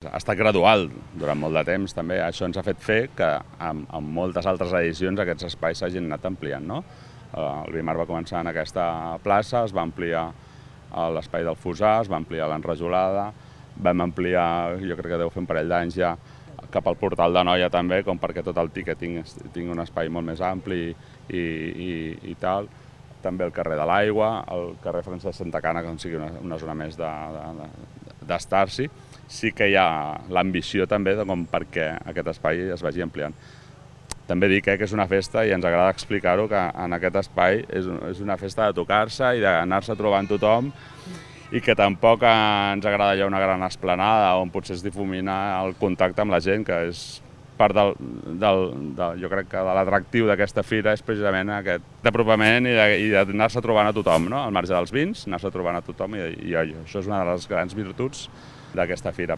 Ha estat gradual durant molt de temps també, això ens ha fet fer que amb moltes altres edicions aquests espais s'hagin anat ampliant. No? El Bimar va començar en aquesta plaça, es va ampliar l'espai del Fossar, es va ampliar l'Enrajolada, vam ampliar, jo crec que deu fer un parell d'anys ja, cap al Portal de Noia també, com perquè tot el ticketing tingui un espai molt més ampli i tal. També el carrer de l'Aigua, el carrer Francesc Santacana, que sigui una zona més d'estar-s'hi. Sí que hi ha l'ambició també com perquè aquest espai es vagi ampliant. També dic que és una festa i ens agrada explicar-ho, que en aquest espai és una festa de tocar-se i d'anar-se trobant tothom i que tampoc ens agrada allò una gran esplanada on potser es difumina el contacte amb la gent, que és part jo crec que de l'atractiu d'aquesta fira és precisament aquest apropament i d'anar-se trobant a tothom, no? Al marge dels vins, anar-se trobant a tothom i això és una de les grans virtuts d'aquesta fira.